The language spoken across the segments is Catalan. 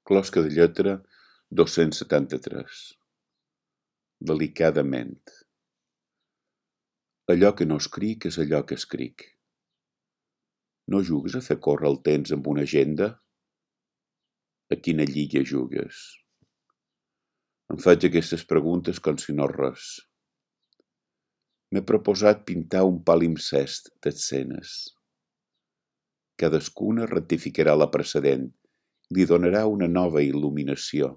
Closca de lletra 273. Delicadament. Allò que no escric és allò que escric. No jugues a fer córrer el temps amb una agenda? A quina lliga jugues? Em faig aquestes preguntes com si no res. M'he proposat pintar un palimpsest d'escenes. Cadascuna rectificarà la precedent i li donarà una nova il·luminació.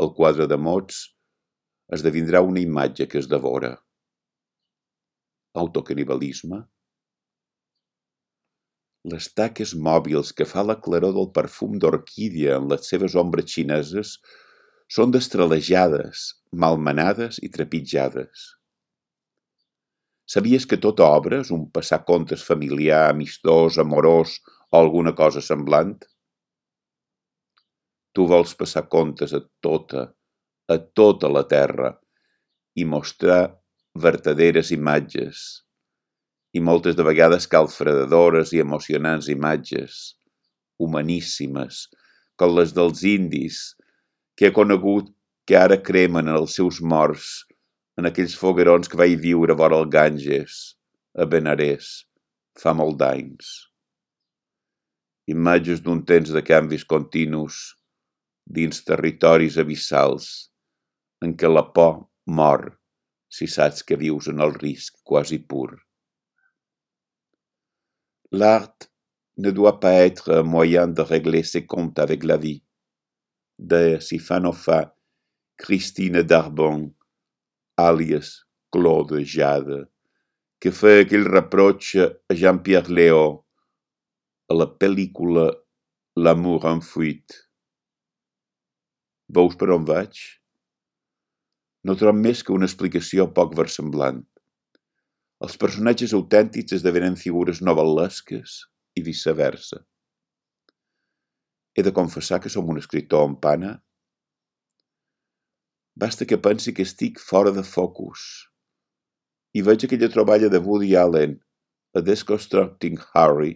El quadre de mots esdevindrà una imatge que es devora. Autocanibalisme? Les taques mòbils que fa la claror del perfum d'orquídia en les seves ombres xineses són destralejades, malmenades i trepitjades. Sabies que tota obra és un passacontes familiar, amistós, amorós o alguna cosa semblant? Tu vols passar comptes a tota la terra i mostrar vertaderes imatges, i moltes de vegades calfredadores i emocionants imatges, humaníssimes, com les dels indis, que he conegut que ara cremen els seus morts en aquells foguerons que vaig viure vora el Ganges, a Benarés, fa molt d'anys. Imatges d'un temps de canvis continus dins territoris abissals en què la por mor si saps que vius en el risc quasi pur. L'art ne doit pas être un moyen de régler ses comptes avec la vie, de Sifanofa, Christine Darbon, àlies Claude Jade, que feia aquell reproche a Jean-Pierre Léaud a la pel·lícula L'amour en fuite. Veus per on vaig? No trobo més que una explicació poc versemblant. Els personatges autèntics esdevenen figures novel·lesques i viceversa. He de confessar que som un escriptor en pana? Basta que pensi que estic fora de focus i veig aquella troballa de Woody Allen, A Deconstructing Harry,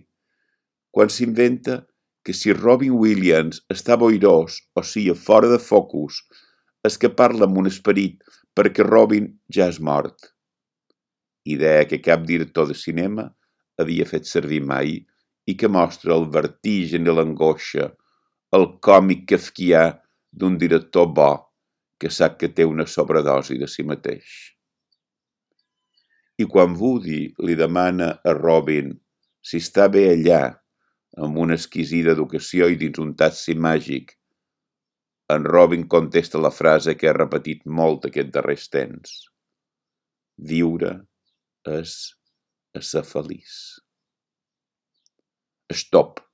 quan s'inventa que si Robin Williams està boirós, o sigui, fora de focus, és que parla amb un esperit perquè Robin ja és mort. Idea que cap director de cinema havia fet servir mai i que mostra el vertigen i l'angoixa, el còmic kafkià d'un director bo que sap que té una sobredosi de si mateix. I quan Woody li demana a Robin si està bé allà, amb una exquisida educació i dins un taxi màgic, en Robin contesta la frase que ha repetit molt aquest darrers temps. Viure és a ser feliç. Stop.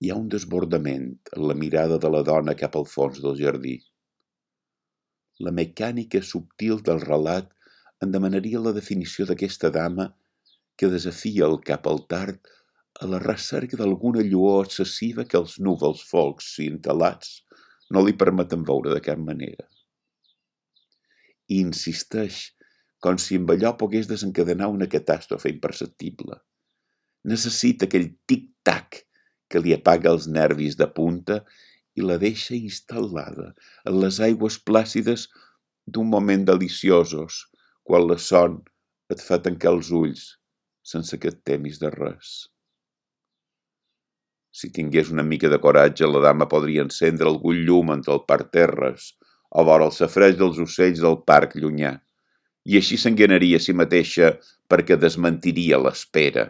Hi ha un desbordament en la mirada de la dona cap al fons del jardí. La mecànica subtil del relat en demanaria la definició d'aquesta dama que desafia el cap al tard a la recerca d'alguna lluor excessiva que els núvols folcs i entelats no li permeten veure de cap manera. I insisteix com si amb allò pogués desencadenar una catàstrofe imperceptible. Necessita aquell tic-tac que li apaga els nervis de punta i la deixa instal·lada en les aigües plàcides d'un moment deliciosos, quan la son et fa tancar els ulls sense que et temis de res. Si tingués una mica de coratge, la dama podria encendre algun llum entre el parterres o vora el safreig dels ocells del parc llunyà, i així s'engainaria a si mateixa perquè desmentiria l'espera.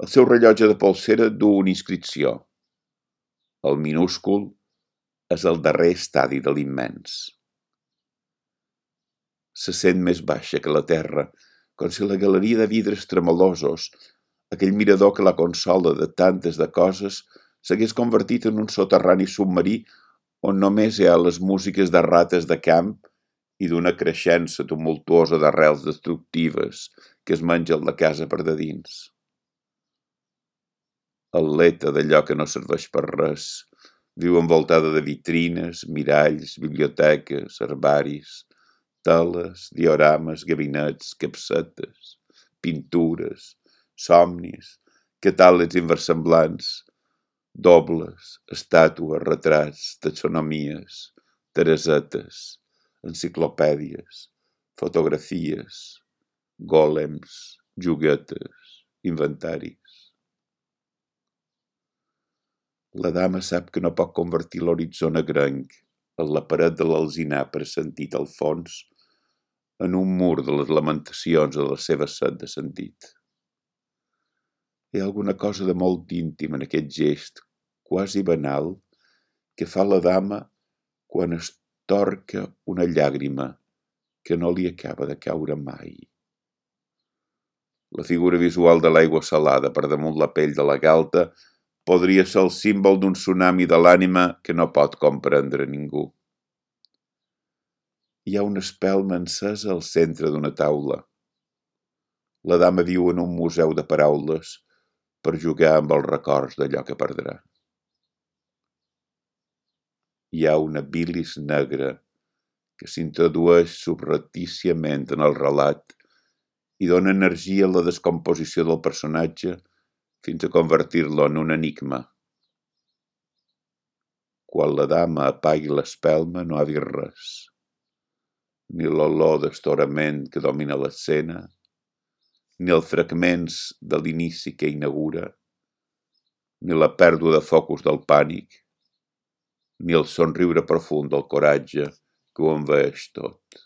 El seu rellotge de polsera duu una inscripció. El minúscul és el darrer estadi de l'immens. Se sent més baixa que la terra, com si la galeria de vidres tremolosos, aquell mirador que la consola de tantes de coses, s'hagués convertit en un soterrani submarí on només hi ha les músiques de rates de camp i d'una creixença tumultuosa d'arrels destructives que es mengen la casa per de dins. Atleta d'allò que no serveix per res, viu envoltada de vitrines, miralls, biblioteques, herbaris, teles, diorames, gabinets, capsetes, pintures, somnis, catàlegs inversemblants, dobles, estàtues, retrats, taxonomies, teresetes, enciclopèdies, fotografies, gòlems, joguetes, inventaris. La dama sap que no pot convertir l'horitzó negrenc, en la paret de l'alzinar pressentit al fons, en un mur de les lamentacions de la seva set de sentit. Hi ha alguna cosa de molt íntim en aquest gest, quasi banal, que fa la dama quan es torca una llàgrima que no li acaba de caure mai. La figura visual de l'aigua salada per damunt la pell de la galta podria ser el símbol d'un tsunami de l'ànima que no pot comprendre ningú. Hi ha una espelma encesa al centre d'una taula. La dama viu en un museu de paraules per jugar amb els records d'allò que perdrà. Hi ha una bilis negra que s'introdueix subreptíciament en el relat i dona energia a la descomposició del personatge fins a convertir-lo en un enigma. Quan la dama apagui l'espelma no ha vist res, ni l'olor d'estorament que domina l'escena, ni els fragments de l'inici que inaugura, ni la pèrdua de focus del pànic, ni el somriure profund del coratge que ho envaeix tot.